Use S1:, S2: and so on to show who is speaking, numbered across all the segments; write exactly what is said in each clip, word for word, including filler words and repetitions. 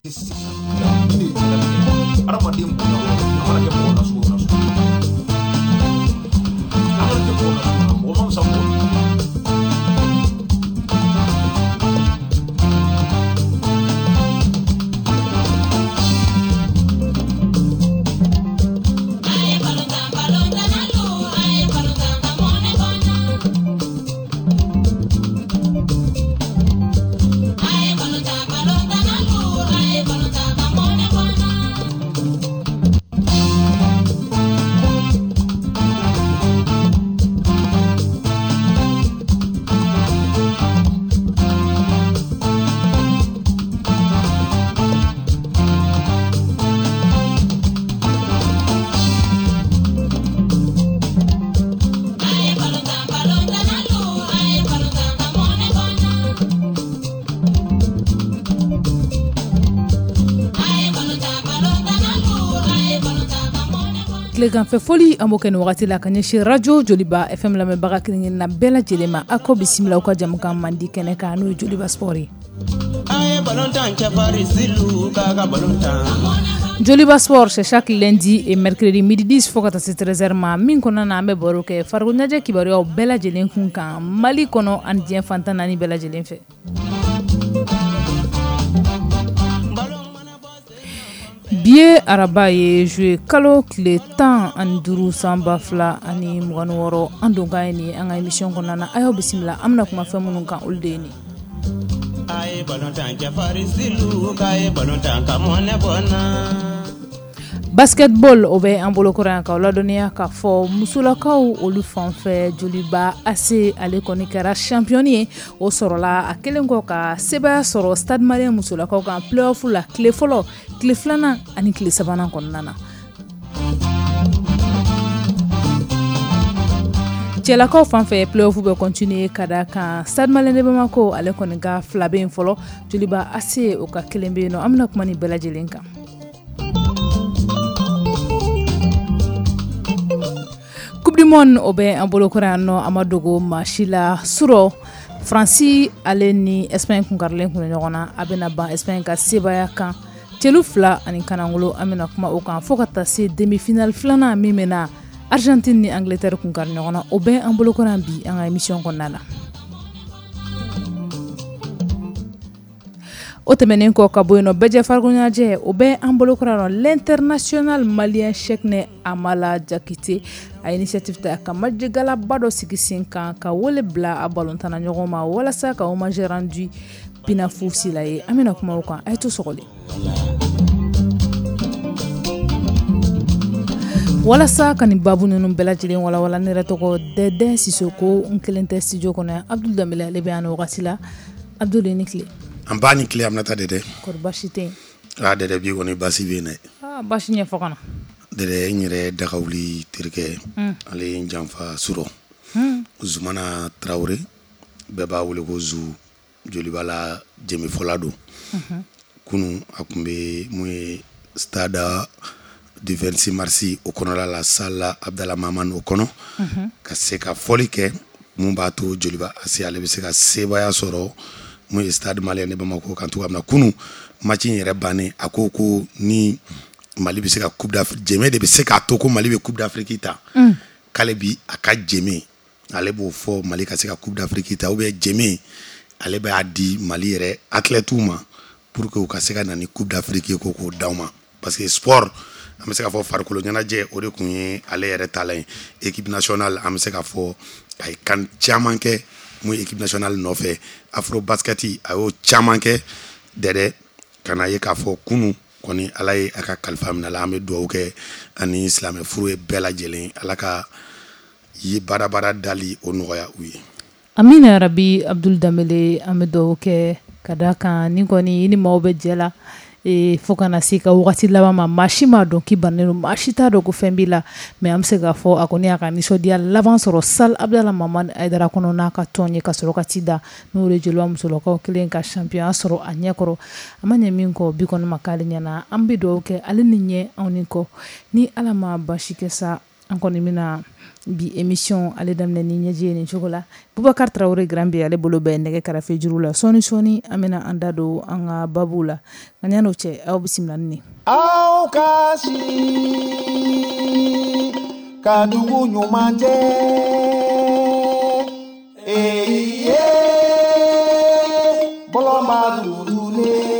S1: Sisan ni de ye diɲɛlatigɛ ye. Hadamaden bonya o a mana kɛ mɔgɔ nasugu o nasugu ye, a mana kɛ mɔgɔ nasugu o mɔgɔ ma fisa mɔgɔ min ye.
S2: Tileganfɛ foli an b'o kɛ nin wagati la ka ɲɛsin radio Joliba F M lamɛnbaga kelen-kelenna bɛɛ lajɛlen ma. Aw ko bisimila aw ka jamukan mandi kɛnɛ kan, n'o ye Joliba Sport ye. Joliba Sport, c'est chaque lundi et mercredi midi dix fo ka taa se treize heures ma. Min kɔnɔna na an bɛ baro kɛ farikolo ɲɛnajɛ kibaruyaw bɛɛ lajɛlen kun kan Mali kɔnɔ ani diɲɛ fantan naani bɛɛ lajɛlen fɛ. Bi ye araba ye, juillet kalo tile tan ani duuru san ba fila ani mugan ni wɔɔrɔ. An donkan ye nin ye an ka émission kɔnɔna na. A y'aw bisimila, an bɛna kuma fɛn minnu kan, olu de ye nin. Basketball o bɛ an bolokɔrɔ yan k'aw ladɔnniya k'a fɔ musolakaw olu fan fɛ, Joliba A C ale kɔni kɛra champion ye. O sɔrɔla a kɛlen kɔ ka sebaaya sɔrɔ Stade Malien musolakaw kan play-off la tile fɔlɔ, tile filanan ani tile sabanan kɔnɔna na. Cɛlakaw fan fɛ, play-off bɛ continuer ka da kan Stade Malien de Bamako ale kɔni ka fila bɛ yen fɔlɔ, Joliba A C o ka kelen bɛ yen nɔ. An bɛna kuma nin bɛɛ lajɛlen kan. Coupe du monde o bɛ an bolokɔrɔ yan nɔ, a ma dogo maa si la. Surɔ Faransi ale ni Espagne kunkarilen kun ɲɔgɔn na, a bɛna ban Espagne ka sebaaya kan celu fila ani kanangolo. An bɛna kuma o kan fo ka taa se demi-finale filanan min bɛna Argentine ni Angleterre kunkari ɲɔgɔn na. O bɛ an bolokɔrɔ yan bi an ka émission kɔnɔna la. O tɛmɛnen kɔ ka bɔ yen nɔ, bɛɛjɛ farikolo ɲɛnajɛ o bɛ an bolokɔrɔ yan nɔ. L'international malien Cheickne Amala Diakité a initiative ta ka match galaba dɔ sigi sen kan ka wele bila a balontanna ɲɔgɔn ma walasa ka hommage rendu Pinafu Sila ye. An bɛna kuma o kan, a ye to sɔgɔlen. Walasa ka nin baabu ninnu bɛɛ lajɛlen walawala, ne yɛrɛ tɔgɔ Dɛdɛ Sisoko, n kelen tɛ studio kɔnɔ yan. Abdul Danbele ale bɛ yan nin wagati la. Abdul, i ni tile.
S3: An ba ni tile, Aminata Dɛdɛ.
S2: Kɔri baasi tɛ yen?
S3: Aa Dɛdɛ, bi kɔni baasi bɛ yen dɛ.
S2: Aa baasi ɲɛfɔ ka na.
S3: Dɛdɛ, n yɛrɛ dagawuli terikɛ, ale ye n janfa surɔ. Zumana Tarawele, bɛɛ b'a wele ko Zu, Joliba la jɛmifɔla don. Kunun a tun bɛ mun ye stade du vingt-six mars o kɔnɔla la, salle Abdallah Mahamane o kɔnɔ, ka se ka fɔli kɛ mun b'a to Joliba A C ale bɛ se ka sebaaya sɔrɔ mun ye Stade Malien de Bamako kan cogoya min na. Kunun match in yɛrɛ bannen, a ko ko ni Mali bɛ se ka Coupe d'Afrique, jɛmɛ de bɛ se k'a to ko Mali bɛ Coupe d'Afrique ta, k'ale bi a ka jɛmɛ ale b'o fɔ Mali ka se ka Coupe d'Afrique ta, ou bien jɛmɛ ale b'a di Mali yɛrɛ athlètes ma pour que u ka se ka na ni Coupe d'Afrique ye ko k'o d'aw ma. Parce que sport, an bɛ se k'a fɔ farikolo ɲɛnajɛ o de kun ye ale yɛrɛ taalan ye. Équipe nationale, an bɛ se k'a fɔ a ye kan caman kɛ mun ye équipe nationale nɔfɛ. Afro basket a y'o caman kɛ Dɛdɛ, ka na ye k'a fɔ kunun kɔni Ala ye a ka kalifa minɛ la. An bɛ dugawu kɛ ani silamɛ furu ye bɛɛ lajɛlen, Ala ka ye baarabara dali o nɔgɔya u ye.
S2: Amina yarabi. Abdul Danbele, an bɛ dugawu kɛ ka da kan ni kɔni i ni maaw bɛ jɛ la fo kana se ka wagati laban ma, maa si m'a dɔn k'i bannen don, maa si t'a dɔn ko fɛn b'i la, mais an bɛ se k'a fɔ a kɔni y'a ka nisɔndiya laban sɔrɔ salle Abdallah Mahamane Hayidara kɔnɔ n'a ka tɔn ye ka sɔrɔ ka ci da n'o de Joliba musolakaw kelen ka champion sɔrɔ a ɲɛkɔrɔ. A ma ɲɛ min kɔ bi kɔni ma k'ale ɲɛna. An bɛ dugawu kɛ ale ni ɲɛ anw ni kɔ ni Ala ma baasi kɛ sa. An kɔni bɛna bi émission ale daminɛ ni ɲɛji ye nin cogo la. Boubacar Traoré Grand B ale bolo bɛ nɛgɛ karafe juru la. Sɔɔni sɔɔni an bɛna an da don an ka babu la. Nka yan'o cɛ, aw bisimila ni.
S4: Aw ka si ka dugu ɲuman jɛ, ee ye bɔlɔnba dugulen.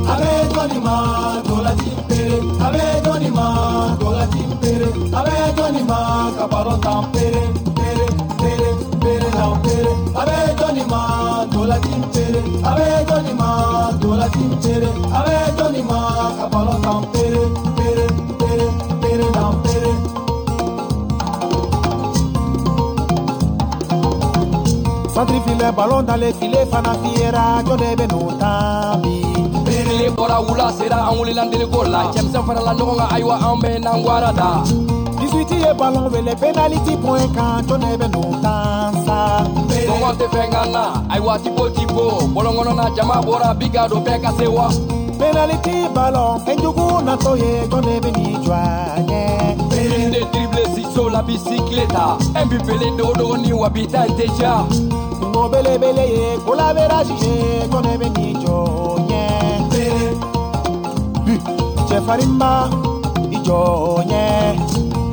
S4: A bɛ jɔnni ma ntolanci pere, a bɛ jɔnni ma ntolanci pere, a bɛ jɔnni ma ka balon tan pere pere pere pere tan pere, a bɛ jɔnni ma ntolanci pere, a bɛ jɔnni ma ntolanci pere, a bɛ jɔnni ma ka balon tan pere pere pere pere tan pere. Centre filet, ballon dans les filets, fana fiyera, jɔn de bɛ n'o tan bi?
S5: Tile bɔra, wula sera, an wulila ndeliko la, cɛmisɛn farala ɲɔgɔn kan, ayiwa an bɛ n'an gwara da.
S4: dix-huit ye ballon wele penalty point kan, jɔn de bɛ n'o tan sa?
S5: Kɔngɔ tɛ fɛn kan na, ayiwa tipo tipo, bɔlɔn kɔnɔna jama bɔra bi ka don bɛɛ ka se wa.
S4: Penalty ballon, fɛnjugu natɔ ye, jɔn de bɛ n'i jɔ a ɲɛ?
S5: Une de dribble ciseau la bicyclette, un but pele dogo ni wa bi ta in tɛ diya.
S4: Kungo belebele ye, ko la virage ye, jɔn de bɛ n'i jɔ ɲɛ? Cɛfarinba i jɔ ɲɛ.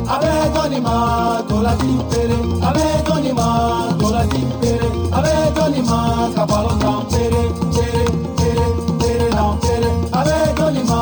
S6: A bɛ jɔnni ma ntolanci pere, a bɛ jɔnni ma ntolanci pere, a bɛ jɔnni ma ka balon tan pere pere pere pere tan pere, a bɛ jɔnni ma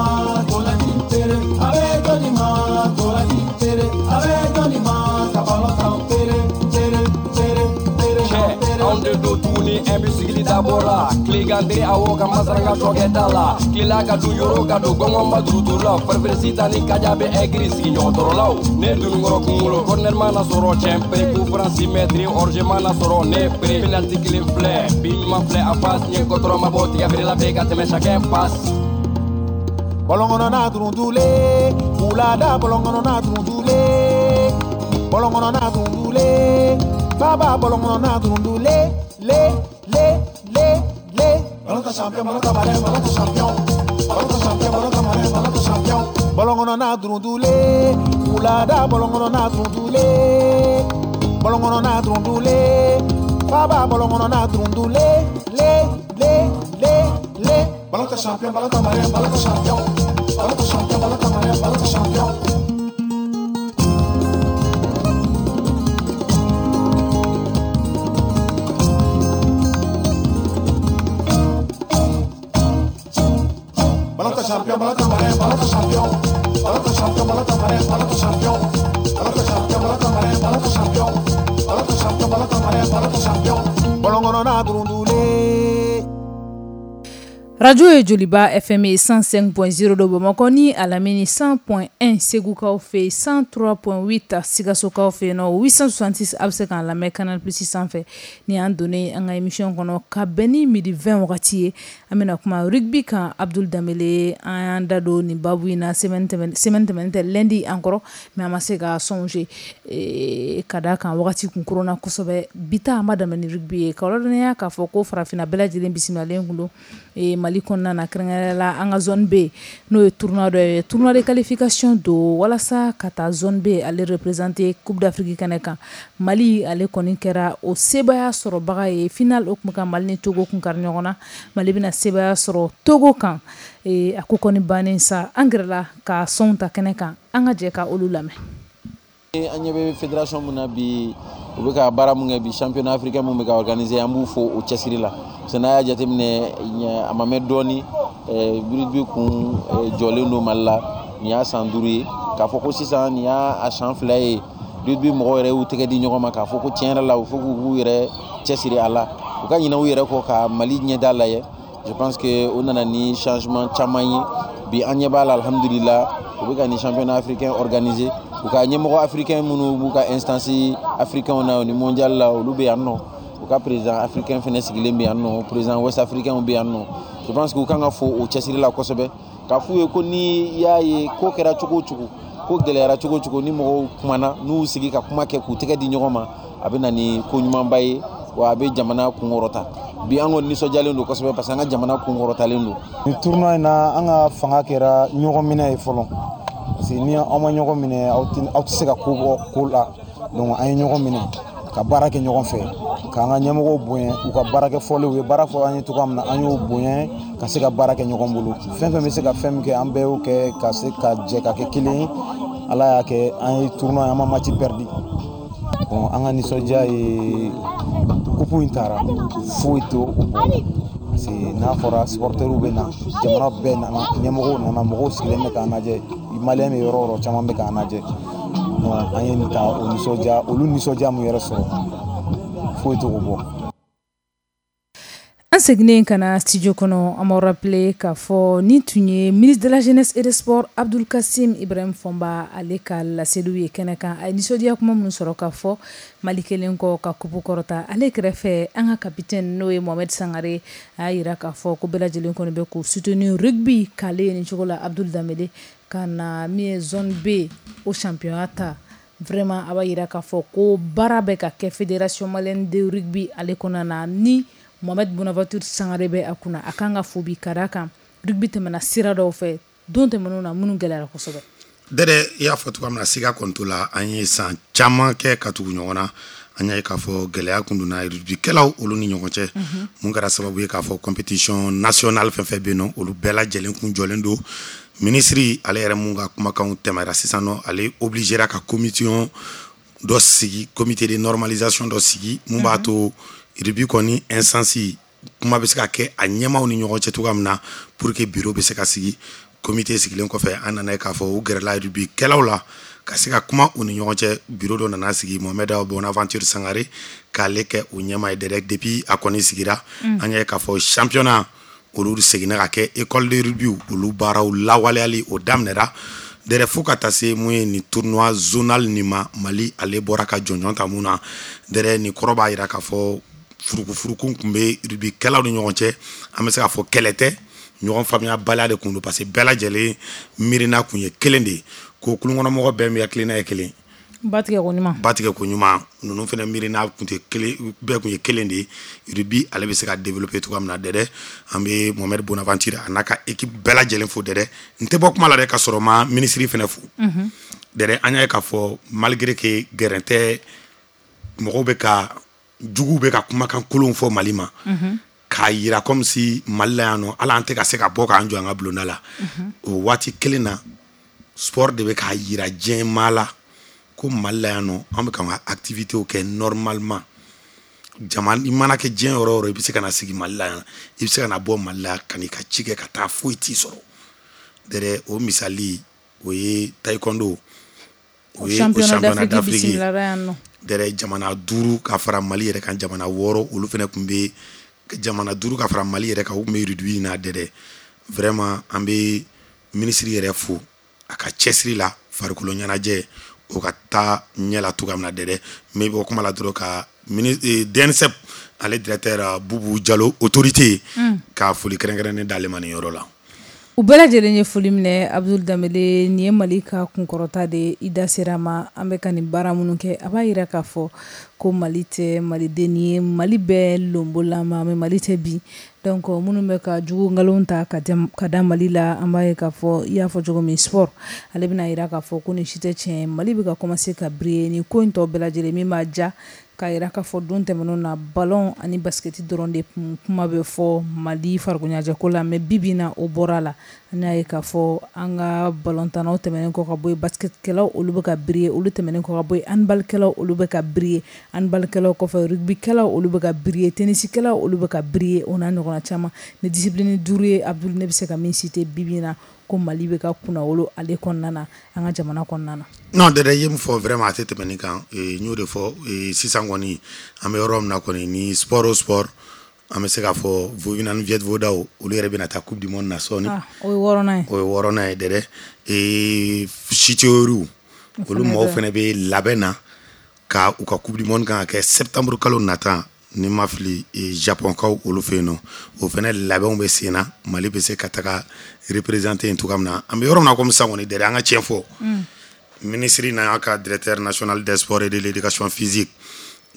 S6: ntolanci pere, a bɛ jɔnni ma ntolanci pere, a bɛ jɔnni ma ka balon tan pere pere pere pere tan pere.
S5: Anw de don tuguni un but sigili dabɔra tilegan awɔ ka masaranga sɔkɛ da la tilela ka dun yɔrɔ ka don gɔngɔn ma duruturu la farifere sitan ni kaja bɛ ɛgiri sigiɲɔgɔntɔrɔlaw ne dununkɔrɔ kunkolo corner mana sɔrɔ cɛn pere coup franc six mètres hors-jeu mana sɔrɔ ne pere penalty kelen filɛ bi ɲuman filɛ en face ɲɛ kɔtɔrɔ ma bɔ tigɛ feerela bɛ ka tɛmɛ chacun passe.
S4: Bɔlɔn kɔnɔna durundulen, wulada bɔlɔn kɔnɔna durundulen, bɔlɔn kɔnɔna durundulen, faba bɔlɔn kɔnɔna durundulen, le le le le.
S6: Ballon ta champion, ballon ta malin, ballon ta champion, ballon ta champion, ballon ta malin, ballon ta champion.
S4: Bɔlɔn kɔnɔna durundulen, wulada bɔlɔn kɔnɔna durundulen, bɔlɔn kɔnɔna durundulen, faba bɔlɔn kɔnɔna durundulen, le le le le.
S6: Ballon ta champion, ballon ta malin, ballon ta champion, ballon ta champion, ballon ta malin, ballon ta champion. Ballon ta champion, ballon ta malin, ballon ta champion, ballon ta champion, ballon ta malin, ballon ta champion, ballon ta champion, ballon ta malin, ballon ta champion, ballon ta champion, ballon ta malin, ballon ta champion.
S4: Bɔlɔn kɔnɔna durundulen.
S2: Radio ye Joliba F M cent cinq point zéro do Bamakɔ ni a lamini cent point un Segukaw fɛ yen, cent trois point huit Sikasokaw fɛ yen nɔ, huit cent soixante-six a bɛ se k'an lamɛn Canal Plus sanfɛ. Ni y'an donnen an ka émission kɔnɔ ka bɛn ni midi vingt wagati ye, an bɛna kuma rugby kan. Abdoul Dembélé, an y'an da don nin babu in na semaine tɛmɛn semaine tɛmɛnen tɛ, lundi an kɔrɔ, mais an ma se ka songer ka d'a kan wagati kun koronna kosɛbɛ. Bi ta an b'a daminɛ ni rugby ye, k'aw ladɔnniya k'a fɔ ko farafinna bɛɛ lajɛlen bisimilalen kun don Mali kɔnɔna na, kɛrɛnkɛrɛnnenya la an ka zone B n'o ye tournoi dɔ ye, tournoi de qualification don walasa ka taa zone B ale représenter Coupe d'Afrique kɛnɛ kan. Mali ale kɔni kɛra o sebaaya sɔrɔbaga ye final, o kun ka Mali ni Togo kun kari ɲɔgɔn na. Mali bɛna sebaaya sɔrɔ Togo kan, a ko kɔni bannen sa, an gɛrɛla ka sɔnw ta kɛnɛ kan, an ka jɛ ka olu lamɛn.
S7: An ɲɛ bɛ fédération mun na bi, u bɛ ka baara mun kɛ bi, championnat africain mun bɛ ka organiser, an b'u fo o cɛsiri la. Parce que n'a y'a jateminɛ, a ma mɛn dɔɔni, rugby kun jɔlen don Mali la, nin y'a san duuru ye. K'a fɔ ko sisan nin y'a san fila ye, rugby mɔgɔw yɛrɛ y'u tɛgɛ di ɲɔgɔn ma k'a fɔ ko tiɲɛ yɛrɛ la, u fo k'u yɛrɛ cɛsiri a la, u ka ɲinɛ u yɛrɛ kɔ ka Mali ɲɛda lajɛ. Je pense que o nana ni changement caman ye bi, an ɲɛ b'a la, alhamdulillah, u bɛ ka nin championnat africain organiser. U ka ɲɛmɔgɔ africain minnu b'u ka instance africain na ni mondial la, olu bɛ yan nɔ. U ka président africain fɛnɛ sigilen bɛ yan nɔ, président ouest africain bɛ yan nɔ. Je pense que u kan ka fo o cɛsiri la kosɛbɛ, k'a f'u ye ko ni y'a ye ko kɛra cogo o cogo, Ko gɛlɛyara cogo cogo, ni mɔgɔw kumana, n'u sigi ka kuma kɛ k'u tɛgɛ di ɲɔgɔn ma, a bɛ na ni ko ɲumanba ye, wa a bɛ jamana kunkɔrɔta. Bi an kɔni nisɔndiyalen don kosɛbɛ, parce que an ka jamana kunkɔrɔtalen don.
S8: Nin tournoi in na, an ka fanga kɛra ɲɔgɔn minɛ ye fɔlɔ, parce que ni aw ma ɲɔgɔn minɛ, aw tɛ se ka ko bɔ ko la. Donc an ye ɲɔgɔn minɛ ka baara kɛ ɲɔgɔn fɛ, k'an ka ɲɛmɔgɔw bonya, u ka baarakɛ fɔlenw, u ye baara fɔ an ye cogoya min na, an y'o bonya ka se ka baara kɛ ɲɔgɔn bolo. Fɛn fɛn bɛ se ka fɛn min kɛ, an bɛɛ y'o kɛ ka se ka jɛ ka kɛ kelen ye. Ala y'a kɛ an ye tournoi, an ma match perdu. Bon, an ka nisɔndiya ye coupe in taara, foyi t'o bɔ, parce que n'a fɔra supporters bɛ na, jamana bɛɛ nana, ɲɛmɔgɔw nana, mɔgɔw sigilen bɛ k'an lajɛ, malien bɛ yɔrɔ o yɔrɔ, caman bɛ k'an lajɛ. Donc an ye nin ta, o nisɔndiya, olu nisɔndiya mun yɛrɛ sɔrɔ, foyi t'o bɔ.
S2: An seginnen ka na studio kɔnɔ, an b'aw rappeler k'a fɔ nin tun ye ministre de la Jeunesse et des Sports Abdoul Kassim Ibrahim Fɔnba, ale ka laseliw ye kɛnɛ kan. A ye nisɔndiya kuma minnu sɔrɔ k'a fɔ Mali kelen kɔ ka coupe kɔrɔta. Ale kɛrɛfɛ, an ka capitaine, n'o ye Mohamed Sangare, a y'a yira k'a fɔ ko bɛɛ lajɛlen kɔni bɛ k'u soutenir rugby k'ale ye nin cogo la. Abdoul Dembélé ka na min ye zone B o championnat ta, vraiment a b'a yira k'a fɔ ko baara bɛ ka kɛ Fédération malienne de rugby ale kɔnɔna na, ni Mohamed Bonaventure Sangare bɛ a kunna. A kan ka fo bi ka d'a kan rugby tɛmɛna sira dɔw fɛ don tɛmɛnenw na minnu gɛlɛyara kosɛbɛ.
S3: Dɛdɛ, i y'a fɔ cogoya min na, siga kɔni t'o la, an ye san caman kɛ ka tugu ɲɔgɔn na, an y'a ye k'a fɔ gɛlɛya kun donna rugbykɛlaw olu ni ɲɔgɔn cɛ, mun kɛra sababu ye k'a fɔ compétition nationale fɛn fɛn bɛ yen nɔ, olu bɛɛ lajɛlen kun jɔlen don. Minisiri ale yɛrɛ mun ka kumakanw tɛmɛra sisan nɔ, ale obligera ka commission dɔ sigi, comité de normalisation dɔ sigi, mun b'a to rugby kɔni instance kuma bɛ se ka kɛ a ɲɛmaaw ni ɲɔgɔn cɛ cogoya min na, pour que bureau bɛ se ka sigi. Comité sigilen kɔfɛ, an nana ye k'a fɔ u gɛrɛla rugby kɛlaw la ka se ka kuma u ni ɲɔgɔn cɛ. Bureau dɔ nana sigi, Mohamed Bonaventure Sangare k'ale kɛ o ɲɛmaa ye. Dɛrɛ, depuis a kɔni sigira, an y'a ye k'a fɔ championnat olu seginna ka kɛ, école de rugby olu baaraw lawaleyali o daminɛra. Dɛrɛ, fo ka taa se mun ye nin tournoi zonal nin ma, Mali ale bɔra ka jɔnjɔn ta mun na. Dɛrɛ, nin kɔrɔ b'a jira k'a fɔ furukufuruku tun bɛ rugbykɛlaw ni ɲɔgɔn cɛ. An bɛ se k'a fɔ kɛlɛ tɛ, ɲɔgɔn faamuyabaliya de kun don, parce que bɛɛ lajɛlen miirina kun ye kelen de ye, ko kulunkɔnɔmɔgɔ bɛɛ mi hakilina ye kelen,
S2: ba tigɛ ko ɲuman,
S3: ba tigɛ ko ɲuman. Ninnu fana miirina kun tɛ kelen, bɛɛ kun ye kelen de ye, rugby ale bɛ se ka développer cogoya min na. Dɛdɛ, an bɛ Mohamed Bonaventure a n'a ka équipe bɛɛ lajɛlen fo. Dɛdɛ, n tɛ bɔ kuma la dɛ ka sɔrɔ ma minisiri fana fo. Dɛdɛ, an y'a ye k'a fɔ malgré que gɛrɛn tɛ, mɔgɔw bɛ ka juguw bɛ ka kumakan kolonw fɔ Mali ma, k'a yira comme si Mali la yan nɔ, hali an tɛ ka se ka bɔ k'an jɔ an ka bulonda la. O waati kelen na, sport de bɛ k'a yira diɲɛ maa la ko Mali la yan nɔ, an bɛ k'an ka activités kɛ normalement. Jama i mana kɛ diɲɛ yɔrɔ o yɔrɔ, i bɛ se ka na sigi Mali la yan, i bɛ se ka na bɔ Mali la ka n'i ka ci kɛ ka taa, foyi t'i sɔrɔ. Dɛrɛ, o misali o ye taekwondo, o ye o championnat d'Afrique ye. Dɛrɛ, jamana duuru ka fara Mali yɛrɛ kan, jamana wɔɔrɔ, olu fana tun bɛ jamana duuru ka fara Mali yɛrɛ kan, u tun bɛ rugby in na. Dɛdɛ, vraiment an bɛ minisiri yɛrɛ fo a ka cɛsiri la, farikolo ɲɛnajɛ o ka taa ɲɛ la cogoya min na. Dɛdɛ, n bɛ bɔ kuma la dɔrɔn ka D N S E P ale directeur Bubu Jalo, autorité, ka foli kɛrɛnkɛrɛnnen d'ale ma nin yɔrɔ la.
S2: U bɛɛ lajɛlen ye foli minɛ. Abdoul Dembélé, nin ye Mali ka kunkɔrɔta de, i da sera ma. An bɛ ka nin baara minnu kɛ, a b'a yira k'a fɔ ko Mali tɛ maliden ye, Mali bɛɛ lonbolama, mais Mali tɛ bi. Donc minnu bɛ ka jugu nkalon ta ka da Mali la, an b'a ye k'a fɔ i y'a fɔ cogo min, sport ale bɛna yira k'a fɔ ko nin si tɛ tiɲɛ. Mali bɛ ka commencer ka briller nin ko in tɔ bɛɛ lajɛlen min b'a ja k'a yira k'a fɔ don tɛmɛnenw na, ballon ani basket dɔrɔn de kuma bɛ fɔ Mali farikoloɲɛnajɛko la, mais bi bi in na o bɔra la. An y'a ye k'a fɔ an ka ballontannaw tɛmɛnen kɔ ka bɔ yen, basketkɛlaw olu bɛ ka briller, olu tɛmɛnen kɔ ka bɔ yen, handballkɛlaw olu bɛ ka briller, handballkɛlaw kɔfɛ rugbykɛlaw olu bɛ ka briller, tenniskɛlaw olu bɛ ka briller, o n'a ɲɔgɔnna caman. Ni discipline duuru ye, Abdoul, ne bɛ se ka min citer bi bi in na ko Mali bɛ ka kunnawolo ale kɔnɔna na, an ka jamana kɔnɔna na.
S3: Non Dɛdɛ, i ye min fɔ vraiment a tɛ tɛmɛ nin kan. N y'o de fɔ sisan kɔni, an bɛ yɔrɔ min na kɔni, ni sport o sport, an bɛ se k'a fɔ Vovina ni Viet Vodaw, olu yɛrɛ bɛna taa coupe du monde na sɔɔni.
S2: O ye wɔɔrɔnan ye.
S3: O ye wɔɔrɔnan ye Dɛdɛ. Siteyoriw olu mɔgɔw fana bɛ labɛn na ka u ka coupe du monde kan ka kɛ septembre kalo nata, ni ma fili, Japon kaw olu fɛ yen nɔ, o fana labɛnw bɛ sen na. Mali bɛ se ka taga représenter yen cogoya min na. An bɛ yɔrɔ min na komi sisan kɔni Dɛdɛ, an ka tiɲɛ fɔ, Minisiri n'a ka directeur national des sports et de l'éducation physique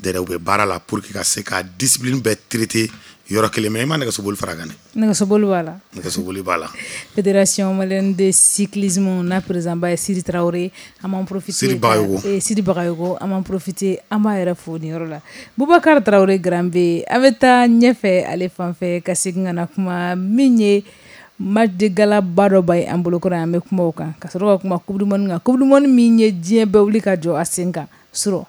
S3: dɛrɛ, u bɛ baara la pour que ka se ka discipline bɛɛ traiter yɔrɔ kelen. Mais i ma nɛgɛsoboli fara kan dɛ.
S2: Nɛgɛsoboli b'a la.
S3: Nɛgɛsoboli b'a la.
S2: Fédération malienne de cyclisme n'a président ba ye Sidi Traoré, an b'an profiter.
S3: Sidi Bagayogo.
S2: Eh, Sidi Bagayogo, an b'an profiter, an b'a yɛrɛ fo nin yɔrɔ la. Boubacar Traoré Grand B, an bɛ taa ɲɛfɛ ale fan fɛ ka segin ka na kuma min ye match de gala ba dɔ ba ye an bolokɔrɔ, an bɛ kuma o kan ka sɔrɔ ka kuma coupe du monde kan, coupe du monde min ye diɲɛ bɛɛ wuli ka jɔ a sen kan surɔ.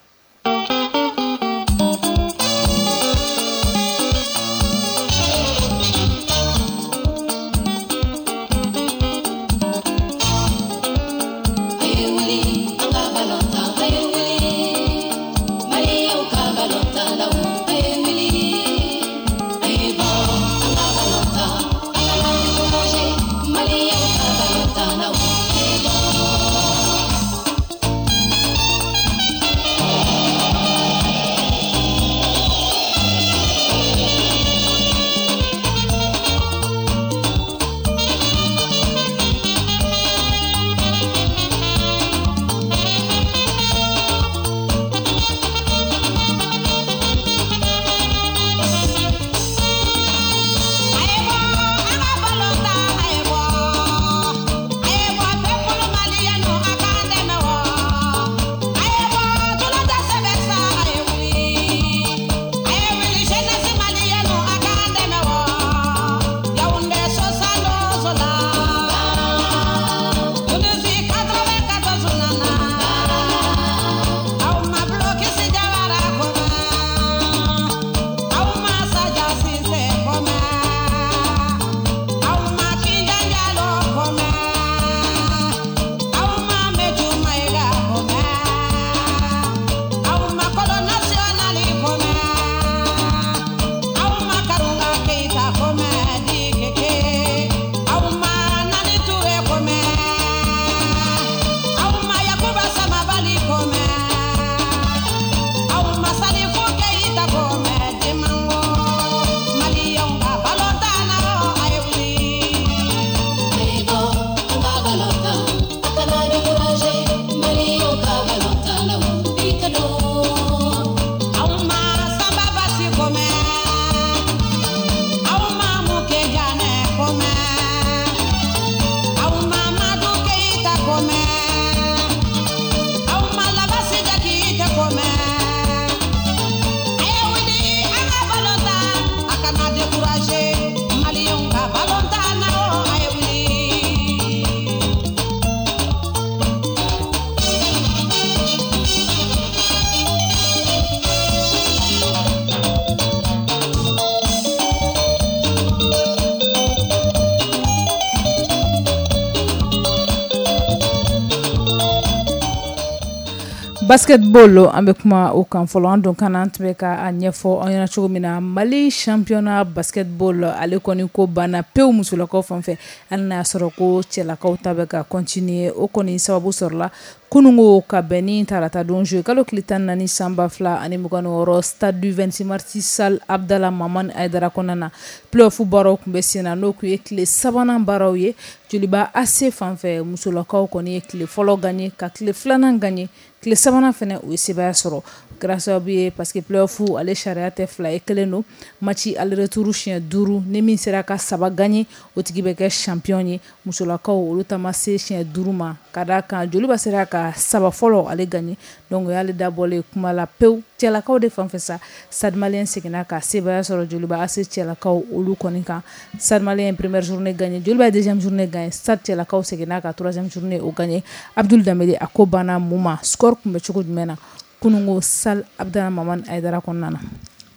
S2: Basketball, an bɛ kuma o kan fɔlɔ. An don kana an tun bɛ ka a ɲɛfɔ aw ɲɛna cogo min na, Mali championnat basketball ale kɔni ko banna pewu musolakaw fan fɛ, hali n'a y'a sɔrɔ ko cɛlakaw ta bɛ ka continuer. O kɔni sababu sɔrɔla kunungo ka bɛn ni tarata don juillet kalo tile tan naani san ba fila ani mugan ni wɔɔrɔ, stade du vingt-six mars, salle Abdallah Maman Aidara kɔnɔna na. Play-off baaraw tun bɛ sen na, n'o tun ye tile sabanan baaraw ye. Joliba A C fan fɛ, musolakaw kɔni ye tile fɔlɔ gagné ka tile filanan gagné, tile sabanan fɛnɛ u ye sebaaya sɔrɔ. O kɛra sababu ye parce que play-off ale sariya tɛ fila ye, kelen don, match aller retour siɲɛ duuru, ni min sera ka saba gagné, o tigi bɛ kɛ champion ye. Musolakaw olu ta ma se siɲɛ duuru ma, ka d'a kan Joliba sera ka saba fɔlɔ ale gagné, donc o y'ale dabɔlen kuma la pewu. Cɛlakaw de fan fɛ sa, Stade Malien seginna ka sebaaya sɔrɔ Joliba A C cɛlakaw olu kɔni kan. Stade Malien première journée gagné, Joliba deuxième journée gagné, Stade cɛlakaw seginna ka troisième journée o gagné. Abdoul Dembélé, a ko banna mun ma? Score tun bɛ cogo jumɛn na kunungo salle Abdallah Maman Aidara kɔnɔna na?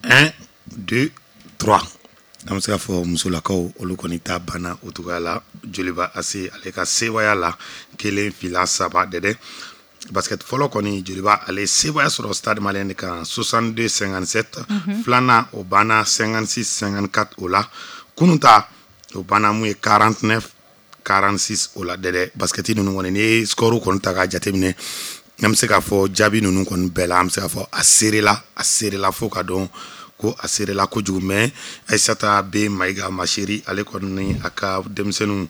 S3: un deux trois, an bɛ se k'a fɔ musolakaw olu kɔni ta banna o cogoya la Joliba A C ale ka sebaaya la, kelen, fila, saba dɛdɛ. Basket fɔlɔ kɔni, Joliba ale sebaaya sɔrɔ Stade Malien de kan soixante-deux cinquante-sept. Filanan o banna cinquante-six cinquante-quatre o la. Kunun ta o banna mun ye quarante-neuf quarante-six o la dɛdɛ. Basket ninnu kɔni, n'i ye score kɔni ta k'a jateminɛ, an bɛ se k'a fɔ jaabi ninnu kɔni bɛɛ la, an bɛ se k'a fɔ a serela, a serela fo ka dɔn ko a serela kojugu. Mais Aïssata B Maïga Macheri ale kɔni ni a ka denmisɛnninw,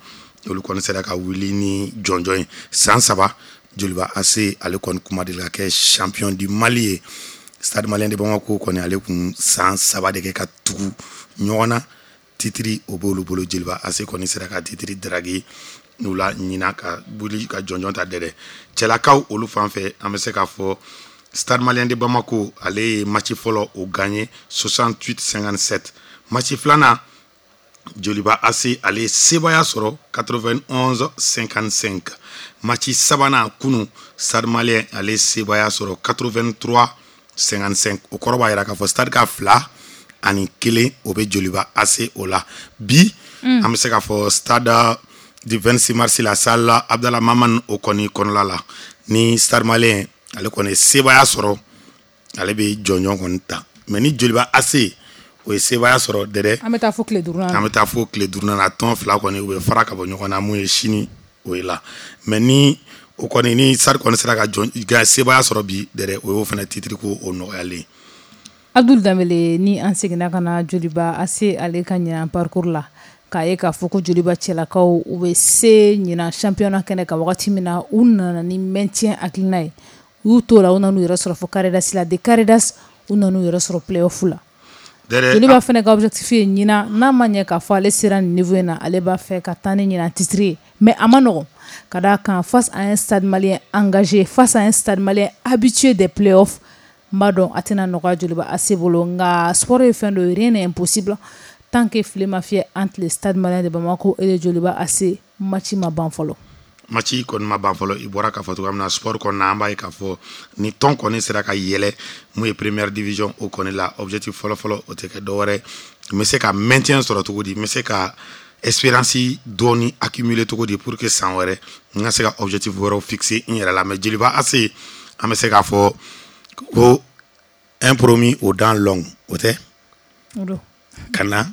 S3: olu kɔni sera ka wuli ni jɔnjɔn ye san saba. Joliba A C ale kɔni kuma deli ka kɛ champion du Mali ye. Stade Malien de Bamako kɔni, ale kun san saba de kɛ ka tugu ɲɔgɔn na, titre o b'olu bolo. Joliba A C kɔni sera ka titre daraki n'u la ɲina ka wuli ka jɔnjɔn ta dɛrɛ. Cɛlakaw olu fan fɛ, an bɛ se k'a fɔ Stade Malien de Bamako ale ye match fɔlɔ o gagné soixante-huit cinquante-sept. Match filanan, Joliba A C ale ye sebaaya sɔrɔ quatre-vingt-onze cinquante-cinq. Match sabanan kunu, Stade Malien ale ye sebaaya sɔrɔ quatre-vingt-trois cinquante-cinq. O kɔrɔ b'a jira k'a fɔ Stade ka fila ani kelen o bɛ Joliba A C o la bi. mm. An bɛ se k'a fɔ stade du vingt-six mars la, salle Abdallah Maman o kɔni kɔnɔla la, ni Stade Malien ale kɔni ye sebaaya sɔrɔ, ale bɛ jɔnjɔn kɔni ta. Mais ni Joliba A C o ye sebaaya sɔrɔ dɛrɛ,
S2: an bɛ taa fo tile duurunan.
S3: An bɛ taa fo tile duurunan na. Tɔn fila kɔni u bɛ fara ka bɔ ɲɔgɔn na mun ye sini o ye la. Mais ni o kɔni ni Stade kɔni sera ka jɔn sebaaya sɔrɔ bi dɛrɛ, o y'o fana titre ko o nɔgɔyalen.
S2: Abdul Danbele, ni an seginna ka na Joliba A C ale ka ɲinan parcours la, k'a ye k'a fɔ ko Joliba cɛlakaw u bɛ se ɲinan championnat kɛnɛ kan wagati min na, u nana ni maintien hakilina ye. U y'u t'o la, u nan'u yɛrɛ sɔrɔ fo carré d'as la. De carré d'as, u nan'u yɛrɛ sɔrɔ play-off la. Joliba fana ka objectif ye ɲinan, n'a ma ɲɛ k'a fɔ ale sera nin niveau in na, ale b'a fɛ ka taa ni ɲinan titre ye. Mais a ma nɔgɔn ka d'a kan face à un Stade Malien engagé, face à un Stade Malien habitué des play-off, n b'a dɔn a tɛna nɔgɔya Joliba A C bolo. Nka sport ye fɛn dɔ ye, rien n'est impossible tant que file ma fiyɛ entre le Stade Malien de Bamako et le Joliba A C. Match ma ban fɔlɔ.
S3: Match kɔni ma ban fɔlɔ. I bɔra k'a fɔ cogoya min na, sport kɔni na, an b'a ye k'a fɔ ni tɔn kɔni sera ka yɛlɛ mun ye première division o kɔni la, objectif fɔlɔ-fɔlɔ o tɛ kɛ dɔwɛrɛ, n bɛ se ka maintien sɔrɔ cogo di, n bɛ se ka expérience dɔɔni accumuler cogo di pour que san wɛrɛ n ka se ka objectif wɛrɛw fixer n yɛrɛ la. Mais Joliba A C, an bɛ se k'a fɔ ko un promu aux dents longues, o tɛ ka na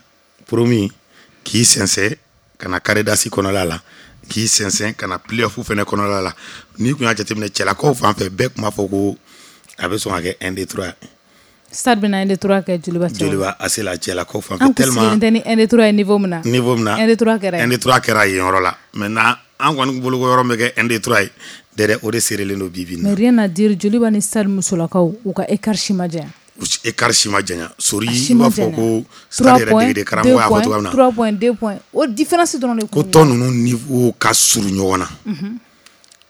S3: promu k'i sɛnsɛn ka na carré d'as kɔnɔla la, k'i sɛnsɛn ka na play-off fɛnɛ kɔnɔla la. N'i kun y'a jateminɛ cɛlakaw fan fɛ, bɛɛ tun b'a fɔ ko a bɛ sɔn ka kɛ un deux trois.
S2: Stade bɛna un deux trois kɛ Joliba cɛw.
S3: Joliba A C la, cɛlakaw fan
S2: fɛ, tellement an kun sigilen tɛ ni un deux trois ye niveau min na.
S3: Niveau min na,
S2: un deux trois kɛra
S3: yen. un deux trois kɛra yen yɔrɔ la. Maintenant, an kɔni bolo ko yɔrɔ min bɛ kɛ un deux trois ye dɛ, o de seerelen don bi bi in
S2: na. Mais rien à dire, Joliba ni Stade musolakaw u ka écart si ma janya.
S3: Écart si ma janya sori, i b'a fɔ ko Stade yɛrɛ degeden karamɔgɔ y'a fɔ cogoya min na.
S2: trois points, deux points, o différence dɔrɔn de.
S3: Ko tɔn ninnu niveau ka surun ɲɔgɔn na,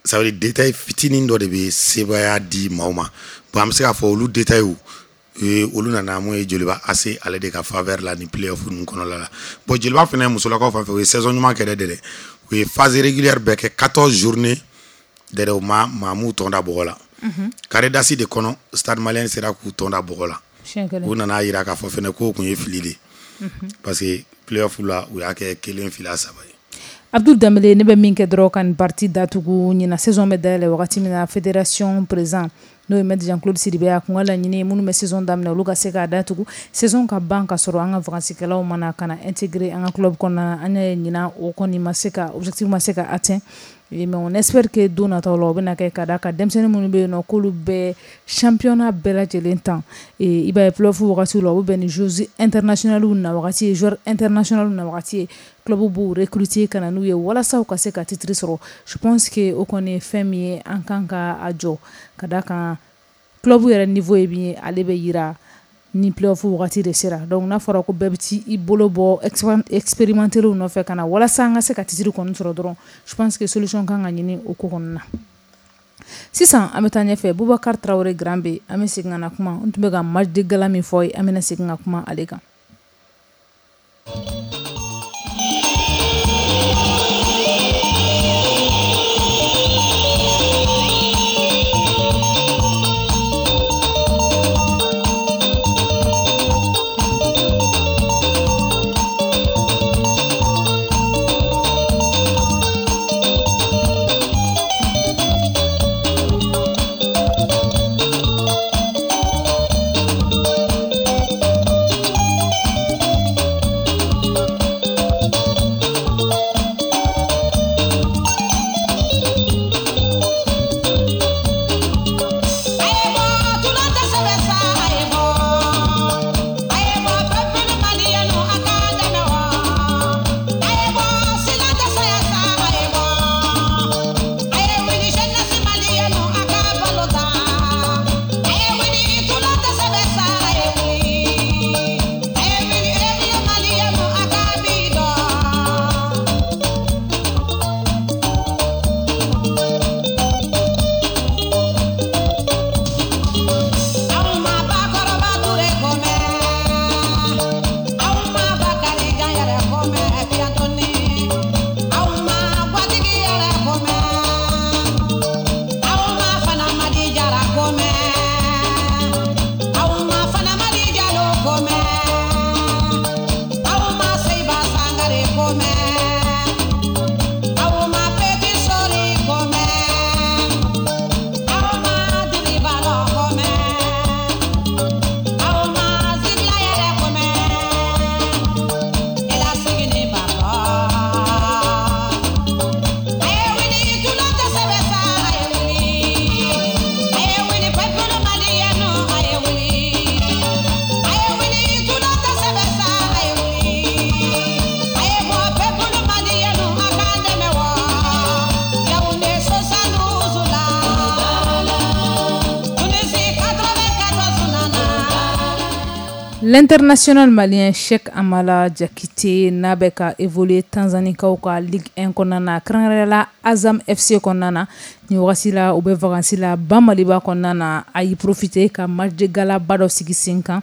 S3: ça veut dire détail fitinin dɔ de bɛ sebaaya di maaw ma. Bon, an bɛ se k'a fɔ olu détail olu nana mun ye Joliba A C ale de ka faveur la ni play-off ninnu kɔnɔla la. Bon, Joliba fɛnɛ musolakaw fan fɛ, u ye saison ɲuman kɛ dɛ dɛ u ye phase régulière bɛɛ kɛ, quatorze journées dɛ, u ma maa m'u tɔn da bɔgɔ la. Carré d'as de kɔnɔ, Stade Malien sera k'u tɔn da bɔgɔ la. U nana yira k'a fɔ fɛnɛ k'o kun ye fili de, parce que play-off la, u y'a kɛ kelen fila saba ye.
S2: Abdul Danbele, ne bɛ min kɛ dɔrɔn ka nin partie datugu, ɲinan saison bɛ dayɛlɛ wagati min na, fédération président n'o ye maître Jean Claude Sidibe, a kun ka laɲini ye minnu bɛ saison daminɛ, olu ka se k'a datugu, saison ka ban ka sɔrɔ an ka vacances kɛlaw mana ka na intégrer an ka club kɔnɔna na. An y'a ye ɲinan o kɔni ma se ka objectif ma se ka atteint, mais on espère que don nataw la o bɛna kɛ, ka d'a kan denmisɛnnin minnu bɛ yen nɔ k'olu bɛ championnat bɛɛ lajɛlen tan. I b'a ye play-off wagati la, o bɛ bɛn ni joueurs internationaux na wagati ye, joueurs internationaux na wagati ye, club b'u recruter ka na n'u ye walasa u ka se ka titre sɔrɔ. Je pense que o kɔni ye fɛn min ye an kan ka a jɔ, ka d'a kan club yɛrɛ niveau ye min ye, ale bɛ yira ni play-off wagati de sera. Donc n'a fɔra ko bɛɛ bɛ t'i bolo bɔ expérimenter nɔfɛ ka na walasa an ka se ka titre kɔni sɔrɔ dɔrɔn, je pense que solution kan ka ɲini o ko kɔnɔna na. Sisan an bɛ taa ɲɛfɛ. Bubakari Tarawele Grand B, an bɛ segin ka na kuma, n tun bɛ ka match de gala min fɔ ye, an bɛna segin ka kuma ale kan. L'international malien Cheikh Amala Diakité n'a bɛ ka évoluer Tanzanikaw ka Ligue un kɔnɔna na, kɛrɛnkɛrɛnnenya la Azam F C kɔnɔna na. Nin wagati la, u bɛ vacances la Ba Maliba kɔnɔna na. A y'i profiter ka match de gala ba dɔ sigi sen kan.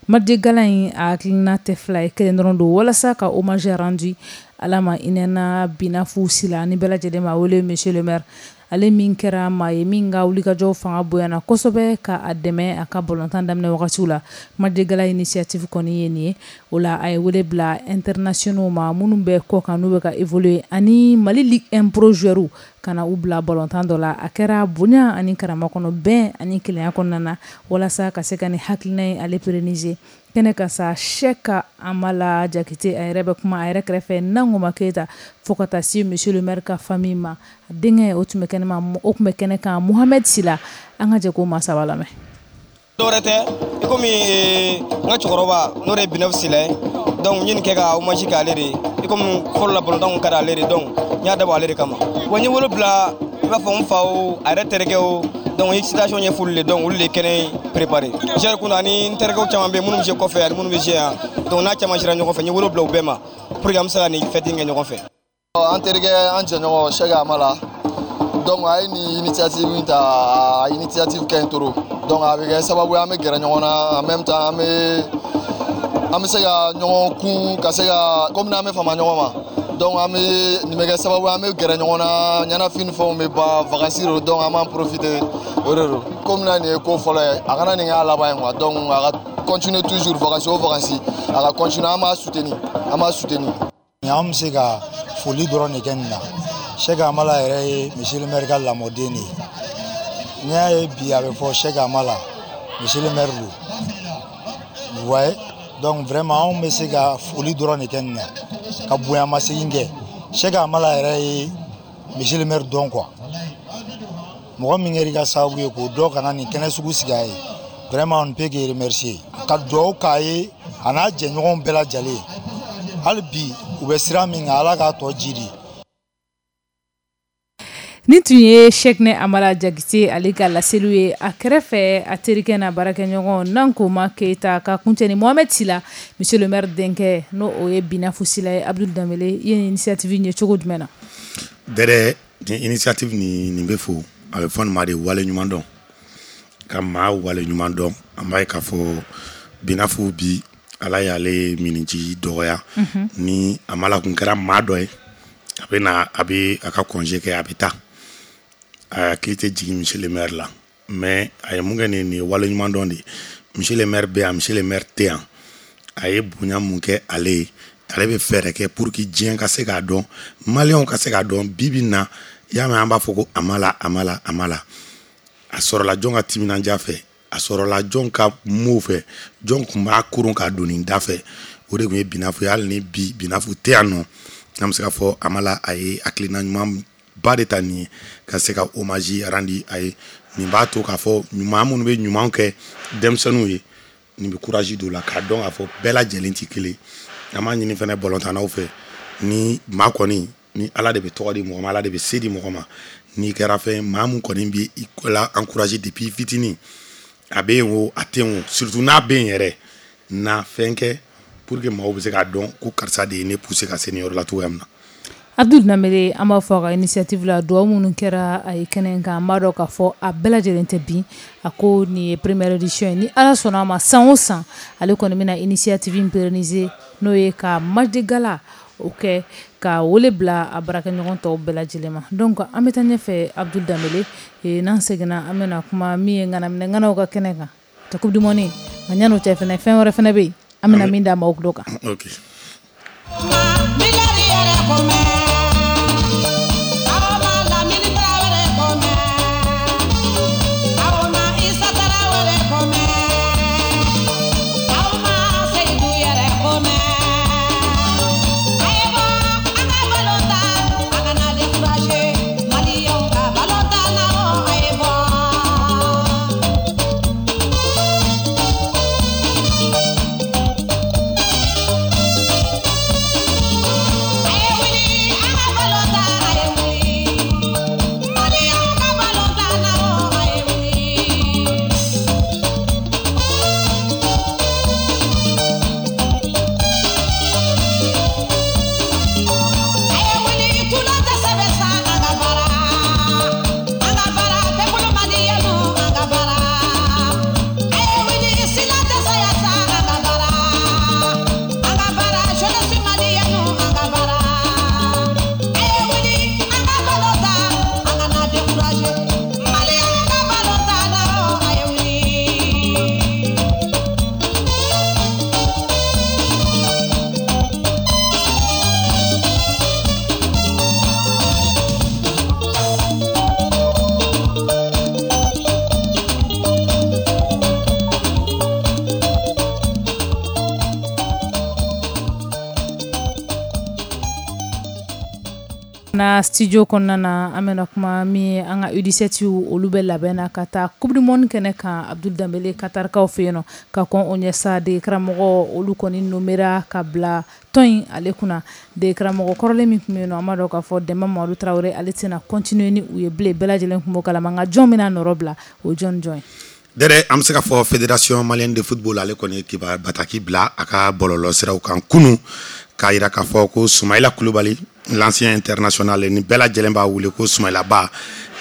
S2: Match de gala in, a hakilina tɛ fila ye, kelen dɔrɔn don, walasa ka hommage rendu Ala ma hinɛna Binafu Sila ni bɛɛ lajɛlen ma wele monsieur le maire, ale min kɛra maa ye min ka wulikajɔw fanga bonyana kosɛbɛ ka a dɛmɛ a ka balontan daminɛ wagatiw la. Match de gala initiative kɔni ye nin ye. O la, a ye wele bila internationaux ma minnu bɛ kɔ kan, n'u bɛ ka évoluer, ani Mali Ligue un pro joueurs, ka na u bila balontan dɔ la. A kɛra bonya ani karama kɔnɔ, bɛn ani kelenya kɔnɔna na, walasa ka se ka nin hakilina in ale pérenniser. Kɛnɛ ka sa, Cheikh Amala Diakité a yɛrɛ bɛ kuma, a yɛrɛ kɛrɛfɛ Nangoma Keyita, fo ka taa se monsieur le maire ka famille ma. A denkɛ, o tun bɛ kɛnɛ ma, o tun bɛ kɛnɛ kan, Mohamed Sila. An ka jɛ k'o maa saba lamɛn.
S5: Dɔwɛrɛ tɛ, i komi n ka cɛkɔrɔba n'o de ye Binɛfu Sila ye. Donc n ye nin kɛ ka hommage kɛ ale de ye, i komi fɔlɔ la balontan kun ka di ale de, donc n y'a dabɔ ale de kama. Wa n ye wolo bila, i b'a fɔ n fa o, a yɛrɛ terikɛ o, donc n ye citation ɲɛfɔ olu de, donc olu de ye kɛnɛ préparé. Joueur kun ani n terikɛw caman bɛ yen minnu bɛ jouer kɔfɛ ani minnu bɛ jouer yan, donc n'a caman sera ɲɔgɔn fɛ, n ye wolo bila u bɛɛ ma pour que an bɛ se ka nin fête in kɛ ɲɔgɔn fɛ.
S9: An terikɛ, an jɛɲɔgɔn Cheikh Amala, donc a ye nin initiative in ta, a initiative ka ɲi trop. Donc a bɛ kɛ sababu ye an bɛ gɛrɛ ɲɔgɔn na, en même temps an bɛ an bɛ se ka ɲɔgɔn kun, ka se ka komi n'an bɛ fama ɲɔgɔn ma. Donc an bɛ nin bɛ kɛ sababu ye an bɛ gɛrɛ ɲɔgɔn na, ɲɛnafin ni fɛnw bɛ ban, vacances don, donc an b'an profiter o de don. Komi na nin ye ko fɔlɔ ye, a kana nin k'a laban ye quoi. Donc a ka continuer toujours, vacances o vacances a ka continuer, an b'a soutenir, an b'a soutenir.
S8: An bɛ se ka foli dɔrɔn de kɛ nin na. Cheikh Amala yɛrɛ ye monsieur le maire ka lamɔden de ye. N'i y'a ye bi a bɛ fɔ Cheikh Amala, monsieur le maire don, vous voyez. Donc vraiment anw bɛ se ka foli dɔrɔn de kɛ nin na, ka bonyamasegin kɛ. Cheikh Amala yɛrɛ ye monsieur le maire dɔn quoi. Mɔgɔ min kɛra i ka sababu ye k'o dɔn ka na nin kɛnɛ sugu sigi a ye, vraiment on ne peut que remercier, ka dugawu k'a ye a n'a jɛɲɔgɔnw bɛɛ lajɛlen. Hali bi u bɛ sira min kan, Ala k'a tɔ jidi.
S2: Nin tun ye Cheikh Amala Diakité ale ka laseliw ye. A kɛrɛfɛ, a terikɛ n'a baarakɛɲɔgɔn Nankoma Keyita, ka kuncɛ ni Mohamed Sila, monsieur le maire denkɛ, n'o o ye Binafu Sila ye. Abdul Danbele, i ye nin initiative in ye cogo jumɛn na?
S3: Dɛrɛ, nin initiative nin nin bɛ fo, a bɛ fɔ nin ma de wale ɲuman dɔn, ka maa wale ɲuman dɔn. An b'a ye k'a fɔ Binafu bi, Ala y'ale miniji dɔgɔya. Ni Amala kun kɛra maa dɔ ye, a bɛ na, a bɛ a ka congé kɛ, a bɛ taa, a hakili tɛ jigin monsieur le maire la. Mais a ye mun kɛ nin nin ye wale ɲuman dɔn de ye. Monsieur le maire bɛ yan, monsieur le maire tɛ yan, a ye bonya mun kɛ ale ye, ale bɛ fɛɛrɛ kɛ pour que diɲɛ ka se k'a dɔn, maliyɛnw ka se k'a dɔn. Bi bi in na, i y'a mɛn an b'a fɔ ko Amala, Amala, Amala, a sɔrɔla jɔn ka timinandiya fɛ, a sɔrɔla jɔn ka mow fɛ, jɔn tun b'a koron k'a don nin da fɛ, o de tun ye Binafu ye. Hali ni bi Binafu tɛ yan nɔ, an bɛ se k'a fɔ Amala a ye hakilina ɲuman ba de ta nin ye, ka se ka hommage rendre a ye. Nin b'a to k'a fɔ ɲuman minnu bɛ ɲuman kɛ denmisɛnninw ye, nin bɛ courage don u la k'a dɔn k'a fɔ bɛɛ lajɛlen tɛ kelen. An b'a ɲini fɛnɛ balontannaw fɛ, ni maa kɔni ni Ala de bɛ tɔgɔ di mɔgɔ ma, Ala de bɛ se di mɔgɔ ma, n'i kɛra fɛn maa mun kɔni bɛ i la encourager depuis fitinin, a bɛ yen o, a tɛ yen o, surtout n'a bɛ yen yɛrɛ, na fɛn kɛ pour que maaw bɛ se k'a dɔn ko karisa de ye ne pousser ka se nin yɔrɔ la cogoya min na.
S2: Abdul Danbele, an b'a fɔ a ka initiative la, dugawu minnu kɛra a ye kɛnɛ kan, an b'a dɔn k'a fɔ a bɛɛ lajɛlen tɛ bin. A ko nin ye première édition ye, ni Ala sɔnna a ma, san o san ale kɔni bɛna initiative in pérenniser, n'o ye ka match de gala o kɛ, ka wele bila a baarakɛɲɔgɔn tɔw bɛɛ lajɛlen ma. Donc an bɛ taa ɲɛfɛ, Abdul Danbele, n'an seginna, an bɛna kuma min ye ŋanaminɛ ŋanaw ka kɛnɛ kan ta coupe du monde. Nka yan'o cɛ fɛnɛ, fɛn wɛrɛ fɛnɛ bɛ yen an bɛna min da maaw tulo kan.
S3: Ok.
S10: Hey,
S2: na studio kɔnɔna na, an bɛna kuma min ye, an ka U dix-sept, olu bɛ labɛn na ka taa Coupe du monde kɛnɛ kan, Abdul Danbele, Qatarkaw fɛ yen nɔ. Ka kɔn o ɲɛ sa, dege karamɔgɔ olu kɔni nommera ka bila tɔn in ale kunna. Dege karamɔgɔ kɔrɔlen min tun bɛ yen nɔ, an b'a dɔn k'a fɔ Dɛnba Mamadu Tarawele, ale tɛna continuer ni u ye bilen. Bɛɛ lajɛlen tun b'o kalama, nka jɔn bɛna nɔrɔ bila o, jɔn jɔn ye?
S3: Dɛrɛ, an bɛ se ka fɔ Fédération malienne de football, ale kɔni ye kiba bataki bila a ka bɔlɔlɔ siraw kan kunun, k'a yira k'a fɔ ko Sumayila Kulubali, l'ancien international, ni bɛɛ lajɛlen b'a wele ko Sumayila Ba,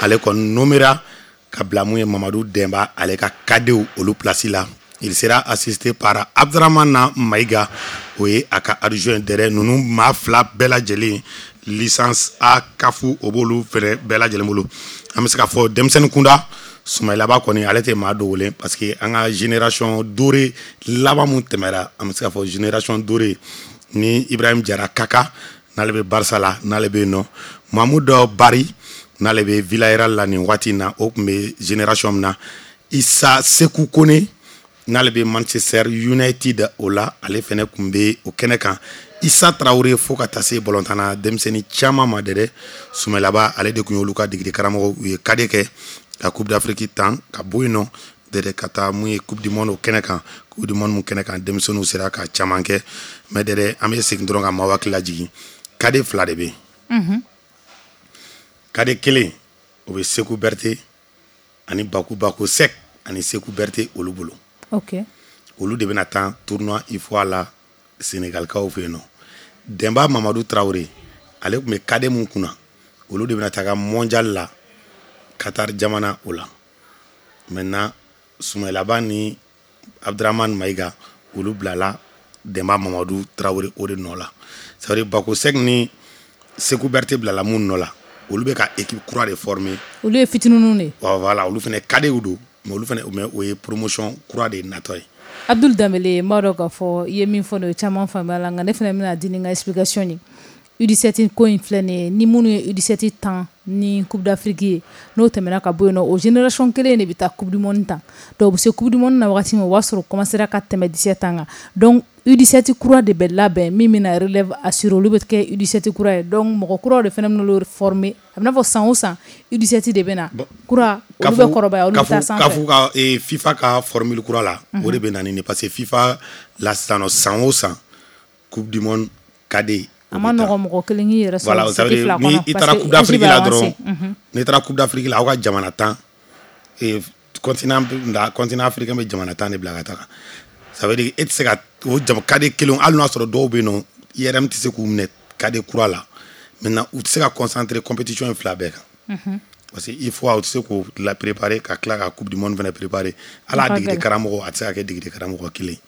S3: ale kɔni nommera ka bila mun ye Mamadu Dɛnba ale ka cadetw olu place la. Il sera assisté par Abdramane Maïga, o ye a ka adjoint. Dɛrɛ, ninnu maa fila bɛɛ lajɛlen, licence A CAF, o b'olu fɛnɛ bɛɛ lajɛlen bolo. An bɛ se k'a fɔ denmisɛnnin kunda, Sumayila Ba kɔni, ale tɛ maa dogolen, parce que an ka génération dorée laban mun tɛmɛra, an bɛ se k'a fɔ génération dorée ni Ibrahim Jara Kaka, n'ale bɛ Barça la, n'ale bɛ yen nɔ, Mahmoud Bari, n'ale bɛ Villarreal la nin waati in na, o tun bɛ génération min na, Issa Seku Kone, n'ale bɛ Manchester United o la, ale fɛnɛ tun bɛ o kɛnɛ kan, Issa Traoré, fo ka taa se balontanna denmisɛnnin caman ma. Dɛ, Sumayila Ba, ale de tun y'olu ka degeli karamɔgɔ. U ye cadet kɛ ka Coupe d'Afrique tan, ka bɔ yen nɔ dɛdɛ, ka taa mun ye Coupe du monde o kɛnɛ kan. Coupe du monde mun kɛnɛ kan, denmisɛnninw sera ka caman kɛ. Mais dɛdɛ, an bɛ segin dɔrɔn ka maaw hakili lajigin, cadet fila de bɛ yen. Cadet kelen, o bɛ Seku Berete ani Baku Baku Sek ani Seku Berete olu bolo.
S2: Ok
S3: olu de bɛna taa tournoi UFOA la Sénégalkaw fɛ yen nɔ. Dɛnba Mamadu Traoré, ale tun bɛ cadet mun kunna, olu de bɛna taga mondial la Qatar jamana o la. Maintenant, Sumayila Ba ni Abdramane Maïga, olu bilala Dɛnba Mamadu Traoré o de nɔ la. Ça veut dire Bako Sek ni Seku Berete bilala mun nɔ la, olu bɛ ka équipe kura de former.
S2: Olu ye fitininw de ye.
S3: Voilà, olu fana cadetw don, mais olu fana, mais o ye promotion kura de natɔ ye.
S2: Abdul Danbele, n b'a dɔn k'a fɔ i ye min fɔ nin ye, caman faamuya la, nka ne fana bɛna di ni n ka explication ye. U dix-sept ko in filɛ nin ye, ni minnu ye U dix-sept tan ni Coupe d'Afrique ye, n'o tɛmɛna ka bɔ yen nɔ, o génération kelen de bɛ taa Coupe du monde tan. Donc u bɛ se Coupe du monde na wagati min, o b'a sɔrɔ commencera ka tɛmɛ dix-sept ans kan. Donc U dix-sept kura de bɛ labɛn min bɛna relève assurer, olu bɛ kɛ U dix-sept kura ye. Donc mɔgɔ kuraw de fana bɛna olu former. A bɛ n'a fɔ san o san U dix-sept de bɛ na kura, olu bɛ kɔrɔbaya, olu bɛ taa sanfɛ.
S3: CAF ka FIFA ka formule kura la, o de bɛ na ni nin, parce que FIFA la sisan nɔ, san o san Coupe du monde cadet.
S2: A ma nɔgɔ mɔgɔ kelen k'i yɛrɛ sɔrɔ
S3: seti fila kɔnɔ. Ni i taara Coupe d'Afrique la dɔrɔn, n'i taara Coupe d'Afrique la, aw ka jamana tan, continent continent africain bɛ jamana tan de bila ka taga. Ça veut dire e tɛ se ka o jama cadet kelen, hali n'a sɔrɔ dɔw bɛ yen nɔ, I R M tɛ se k'u minɛ cadet kura la. Maintenant, u tɛ se ka concentrer compétition in fila bɛɛ kan, parce que il faut u tɛ se k'o la préparer ka tila ka Coupe du monde fana préparer. Hali a degeli karamɔgɔ, a tɛ se ka kɛ degeli karamɔgɔ kelen.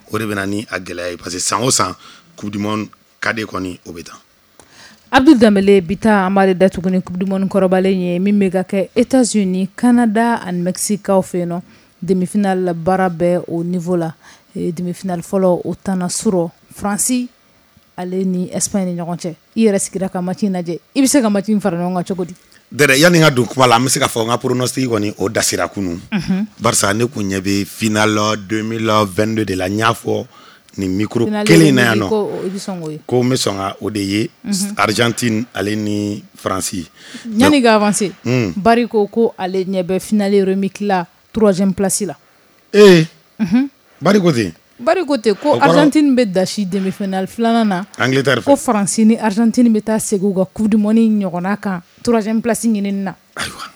S3: O de bɛ na ni a gɛlɛya ye, parce que san o san Coupe du monde cadet kɔni, o bɛ taa.
S2: Abdul Danbele, bi ta an b'ale datugu ni Coupe du monde kɔrɔbalen ye min bɛ ka kɛ États-Unis, Canada ani Mexique kaw fɛ yen nɔ. Demi-finale baara bɛ o niveau la. Demi-finale fɔlɔ, o tanna surɔ Faransi ale ni Espagne ni ɲɔgɔn cɛ. I yɛrɛ sigira ka match in lajɛ, i bɛ se ka match in fara ɲɔgɔn kan cogo di?
S3: Dɛrɛ, yanni n ka don kuma la, an bɛ se k'a fɔ n ka pronostic kɔni, o dasira kunun, barisa ne kun ɲɛ bɛ finale deux mille vingt-deux de la. N y'a fɔ nin micro kelen in na yan nɔ ko n bɛ sɔn ka o de ye, Argentine ale ni Faransi.
S2: Yanni ka avancer, Bari ko ko ale ɲɛ bɛ finale remix la troisième place la.
S3: Ee, Bari ko ten?
S2: Bari ko ten ko Argentine bɛ dasi demi-finale filanan na.
S3: Angleterre fɛ.
S2: Ko Faransi ni Argentine bɛ taa segin u ka Coupe du monde ɲɔgɔnna kan troisième place ɲinini na.
S3: Ayiwa,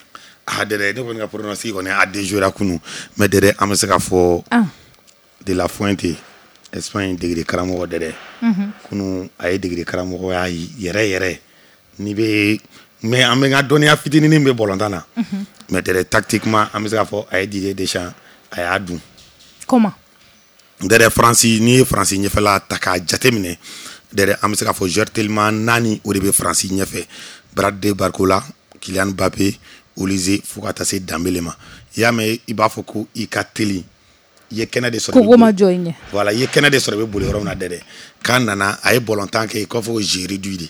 S3: a dɛrɛ, ne kɔni ka pronostic kɔni, a déjouera kunun. Mais dɛrɛ, an bɛ se k'a fɔ De La Fuente, Espagne degeli karamɔgɔ, dɛrɛ, kunun a ye degeli karamɔgɔya yɛrɛ yɛrɛ n'i bɛ, mais an bɛ n ka dɔnniya fitinin bɛ balontan na, mais dɛrɛ, tactiquement, an bɛ se k'a fɔ a ye Didier Deschamps, a y'a dun.
S2: Comment?
S3: Dɛrɛ, Faransi, n'i ye Faransi ɲɛfɛla ta k'a jateminɛ, dɛrɛ, an bɛ se k'a fɔ joueur teliman naani, o de bɛ Faransi ɲɛfɛ: Bradley Barcola, Kylian Mbappé, Olise, fo ka taa se Dembélé ma. I y'a mɛn, i b'a fɔ ko i ka teli, i ye kɛnɛ de sɔrɔ.
S2: Kogo ma jɔ i ɲɛ.
S3: Voilà, i ye kɛnɛ de sɔrɔ, i bɛ boli yɔrɔ min na. Dɛrɛ, k'a nana, a ye balontan kɛ i k'a fɔ ko jeu réduit de.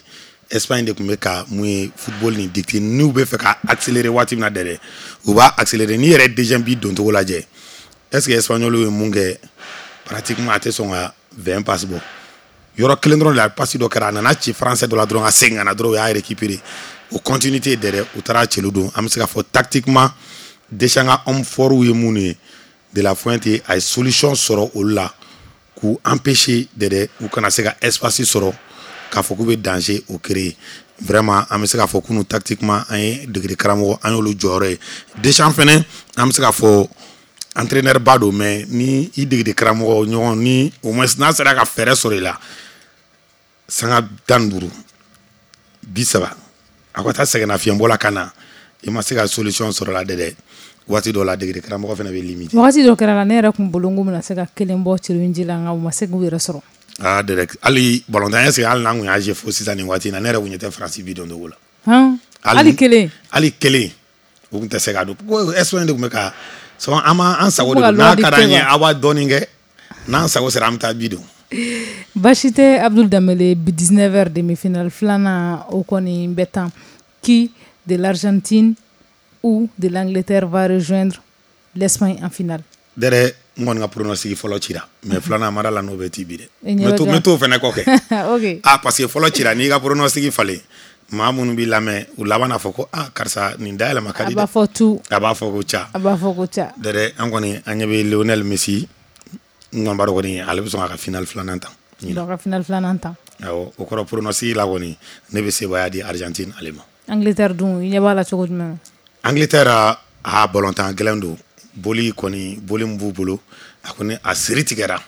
S3: Espagne de tun bɛ ka mun ye football nin dicter. N'u bɛ fɛ ka accélérer waati min na, dɛrɛ, u b'a accélérer. N'i yɛrɛ ye deuxième but doncogo lajɛ, est ce que Espagnol ye mun kɛ? Pratiquement a tɛ sɔn ka vingt passes bɔ. Yɔrɔ kelen dɔrɔn de la, passe dɔ kɛra, a nana ci français dɔ la dɔrɔn, ka segin ka na dɔrɔn, u y'a récupérer. O continuité dɛrɛ, u taara cɛlu don. An bɛ se k'a fɔ tactiquement, Deschamps ka homme fort ye minnu ye, De La Fuente a ye solution sɔrɔ olu la k'u empêcher dɛrɛ, u kana se ka espace sɔrɔ k'a fɔ k'u bɛ danger o créer. Vraiment, an bɛ se k'a fɔ kunu, tactiquement, an ye degeli karamɔgɔ, an y'olu jɔyɔrɔ ye. Deschamps fɛnɛ, an bɛ se k'a fɔ entraîneur ba don, mais ni i degeli karamɔgɔ ɲɔgɔn ni au moins n'a sera ka fɛɛrɛ sɔrɔ i la, sanga tan ni duuru bi saba, a ka taa sɛgɛnnafiɲɛbɔ la ka na, i ma se ka solution sɔrɔ la dɛ, waati dɔw la degeli karamɔgɔ fana bɛ limiter.
S2: Wagati dɔ kɛra la, ne yɛrɛ kun bolo n ko bɛna se ka kelen bɔ cɛrinji la, nka u ma se k'u yɛrɛ sɔrɔ.
S3: Aa dɛ, hali balontan, est-ce que hali n'an kun y'a jouer fo sisan nin waati in na, ne yɛrɛ kun ɲɛ tɛ Faransi bi don cogo la.
S2: Hali kelen.
S3: Hali kelen u kun tɛ se ka don. Ko Espagne de kun bɛ ka souvent an ma an sago de don, n'a ka d'an ye aw b'a dɔɔnin kɛ, n'an sago sera an bɛ taa bi don.
S2: Baasi tɛ, Abdul Dembélé. Bi dix-neuf heures, demi-finale filanan o kɔni bɛ tan. Qui de l'Argentine ou de l'Angleterre va rejoindre l'Espagne en finale?
S3: Dɛrɛ, n kɔni ka pronostic fɔlɔ cira, mais filanan mara la n'o bɛ ti bi dɛ. N bɛ t'o fɛnɛ kɔ kɛ.
S2: Ok.
S3: Ah, parce que fɔlɔ cira, n'i ka pronostic falen, maa minnu b'i lamɛn, u laban n'a fɔ ko ah karisa nin dayɛlɛma ka di dɛ.
S2: A b'a fɔ tu.
S3: A b'a fɔ ko ca.
S2: A b'a fɔ ko ca.
S3: Dɛrɛ, an kɔni an ɲɛ bɛ Lionel Messi, n kɔni b'a dɔn kɔni ale bɛ sɔn k'a ka finale filanan ta.
S2: Donc ka finale filanan ta.
S3: Awɔ, o kɔrɔ pronostic la kɔni, ne bɛ sebaaya di Argentine ale ma.
S2: Angleterre dun, i ɲɛ b'a la cogo jumɛn na?
S3: Angleterre, a balontan gɛlɛn don. Boli kɔni, boli min b'u bolo, a kɔni a siri tigɛra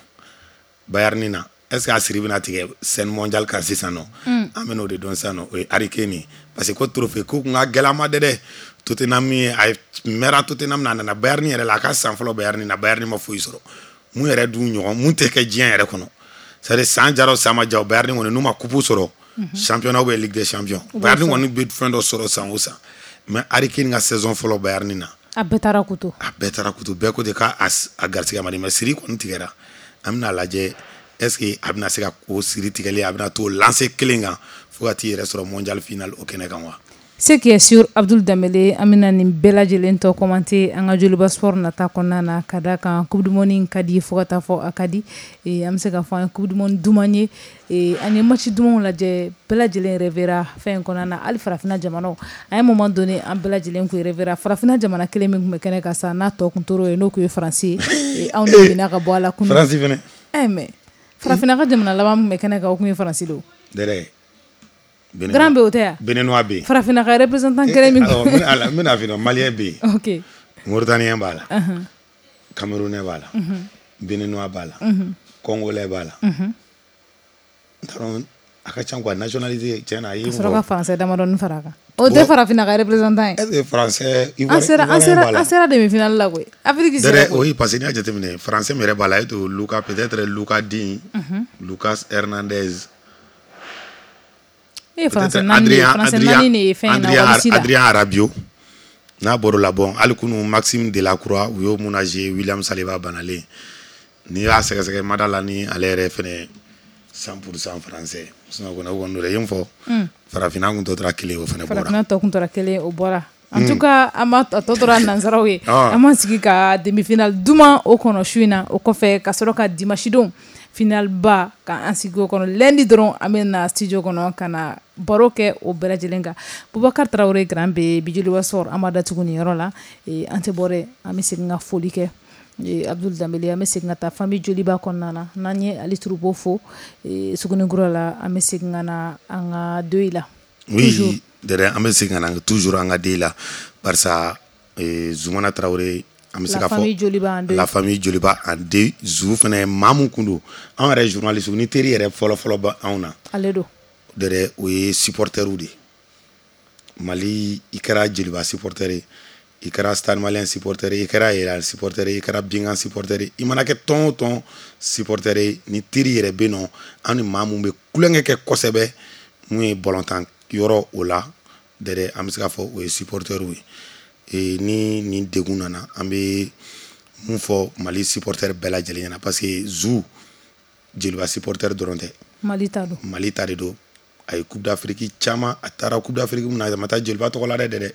S3: Bayern na. Est-ce que a siri bɛna tigɛ scène mondiale kan sisan nɔ? An bɛ n'o de dɔn sisan nɔ. O ye Harry Kane ye, parce que ko trophée ko kun ka gɛlɛn a ma dɛ dɛ. Tottenham ye, a mɛnna Tottenham na, a nana Bayern yɛrɛ la, a ka san fɔlɔ Bayern na, Bayern ma foyi sɔrɔ. Mun yɛrɛ dun ɲɔgɔn mun tɛ kɛ diɲɛ yɛrɛ kɔnɔ, c'est à dire san jara o san ma ja, Bayern kɔni n'u ma coupe sɔrɔ, championnat ou bien Ligue des champions, Bayern kɔni bɛ fɛn dɔ sɔrɔ san o san. Mais Harry Kane ka saison fɔlɔ Bayern na,
S2: a bɛɛ taara kutu.
S3: A bɛɛ taara kutu, bɛɛ ko ten k'a a garisɛgɛ ma di, mais siri kɔni tigɛra. An bɛna lajɛ est-ce que a bɛna se ka o siri tigɛli, a bɛna t'o lancer kelen kan fo ka t'i yɛrɛ sɔrɔ mondial final o kɛnɛ kan wa.
S2: Ce qui est sûr, Abdul Dembélé, an bɛna nin bɛɛ lajɛlen tɔ commenter an ka Joliba Sport nata kɔnɔna na, ka d'a kan coupe du monde in ka di fo ka taa fɔ a ka di. An bɛ se k'a fɔ an ye coupe du monde duman ye, an ye match dumanw lajɛ, bɛɛ lajɛlen rêvera fɛn in kɔnɔna na. Hali farafinna jamanaw, à un moment donné an bɛɛ lajɛlen kun rêvera farafinna jamana kelen min tun bɛ kɛnɛ kan sa, n'a tɔ kun tor'o ye, n'o kun ye Faransi ye. Anw de binna ka bɔ a la kunun.
S3: Faransi fɛnɛ.
S2: Eh mais farafinna ka jamana laban min tun bɛ kɛnɛ kan, o kun ye Faransi de o.
S3: Dɛrɛ.
S2: Grand B o tɛ yan.
S3: Béninois bɛ yen.
S2: Farafinna ka représentant kelen min.
S3: Awɔ, n bɛna f'i ɲɛna, Malien bɛ yen.
S2: Ok.
S3: Mauritanien b'a la. Camerounais b'a la. Béninois b'a la. Congolais b'a la. N t'a dɔn, a ka ca quoi, nationalité tiɲɛ na a ye.
S2: Ka sɔrɔ ka français damadɔni fara a kan. O tɛ farafinna ka représentant ye.
S3: Est-ce que français
S2: An sera an sera an sera demi-finale la koyi. Afrique sera
S3: koyi. Oui, parce que n'i y'a jateminɛ, français min yɛrɛ b'a la, e to Lucas, peut-être Lucas Digne, Lucas Hernandez. Adrien Rabiot n'a bɔr'o la, bon hali kunu Maxime Delacroix u y'o mun jouer, William Saliba banalen, n'i y'a sɛgɛsɛgɛ mada la ni ale yɛrɛ fɛnɛ cent pour cent français, sinon kɔni o kɔni don dɛ, i ye n fɔ farafinna kun tɔ tora kelen, o fɛnɛ bɔra.
S2: Farafinna tɔ kun tora kelen, o bɔra. En tout cas, an ma a tɔ tora nansaraw ye. An m'an sigi ka demi-finale duman o kɔnɔ su in na, o kɔfɛ ka sɔrɔ ka dimanche don finale ba ka an sigi o kɔnɔ. Lundi dɔrɔn an bɛ na studio kɔnɔ ka na baro kɛ o bɛɛ lajɛlen kan. Boubacar Traoré Grand B, bi Joliba Sport an b'a datugu nin yɔrɔ la. An tɛ bɔ dɛ, an bɛ segin ka foli kɛ Abdul Dembélé, an bɛ segin ka taa famille Joliba kɔnɔna na. N'an ye Ali Turubo fo Sugunikura la, an bɛ segin ka na an ka deuil la.
S3: Oui, dɛrɛ, an bɛ segin ka na toujours an ka deuil la, barisa Zoumana Traoré, an bɛ se k'a fɔ la famille Joliba en deuil. Zou fɛnɛ maa mun kun don, anw yɛrɛ journaliste ni teri yɛrɛ fɔlɔ fɔlɔ bɛ anw na.
S2: Ale don.
S3: Dɛrɛ, o ye supporter de ye. Mali, i kɛra Joliba supporter ye, i kɛra Stade Malien supporter ye, i kɛra Real supporter ye, i kɛra Bingan supporter ye, i mana kɛ tɔn o tɔn supporter ye, ni teri yɛrɛ bɛ nɔ, an ni maa mun bɛ kulonkɛ kɛ kosɛbɛ, mun ye balontan yɔrɔ o la dɛrɛ, an bɛ se k'a fɔ o ye supporter ye. Ni nin degun nana, an bɛ mun fɔ Mali supporter bɛɛ lajɛlen ɲɛna, parce que Zou Joliba supporter dɔrɔn tɛ,
S2: Mali ta don,
S3: Mali ta de don. A ye Coupe d'Afrique caman, a taara Coupe d'Afrique mun na, a ma taa Joliba tɔgɔ la dɛ dɛ,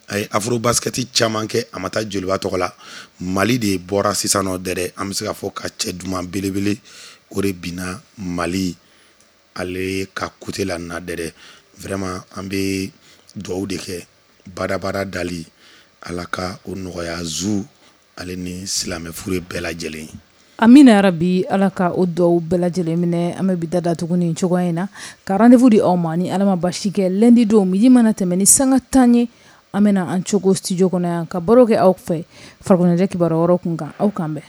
S3: a ye Afro basket caman kɛ, a ma taa Joliba tɔgɔ la. Mali de bɔra sisan nɔ dɛrɛ, an bɛ se k'a fɔ ka cɛ duman belebele o de binna Mali Ale ka côté la na dɛrɛ, vraiment an bɛ dugawu de kɛ, badabada dali Ala ka o nɔgɔya Zu ale ni silamɛ fure bɛɛ lajɛlen.
S2: Amina yarabi, Ala ka o dugawu bɛɛ lajɛlen minɛ. An bɛ bi da datugu nin cogoya in na ka rendez-vous di aw ma ni Ala ma basi kɛ lundi don midi mana tɛmɛ ni sanga tan ye, an bɛna an cogo studio kɔnɔ yan ka baro kɛ aw fɛ farikoloɲɛnajɛ kibaruya wɛrɛw kun kan. Aw k'an bɛn.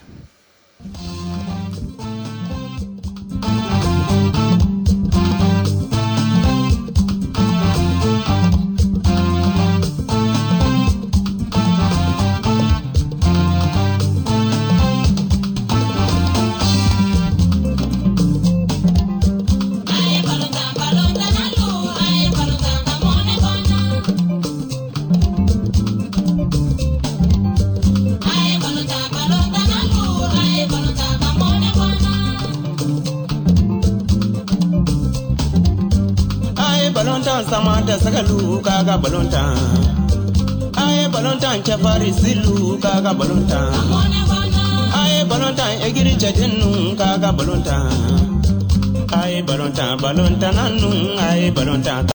S10: Samata sagalu kaga balontan, aye balontan cɛfari silu kaga balontan, aye balontan egiri cɛdennu kaga balontan, aye balontan balontan nanu aye balontan.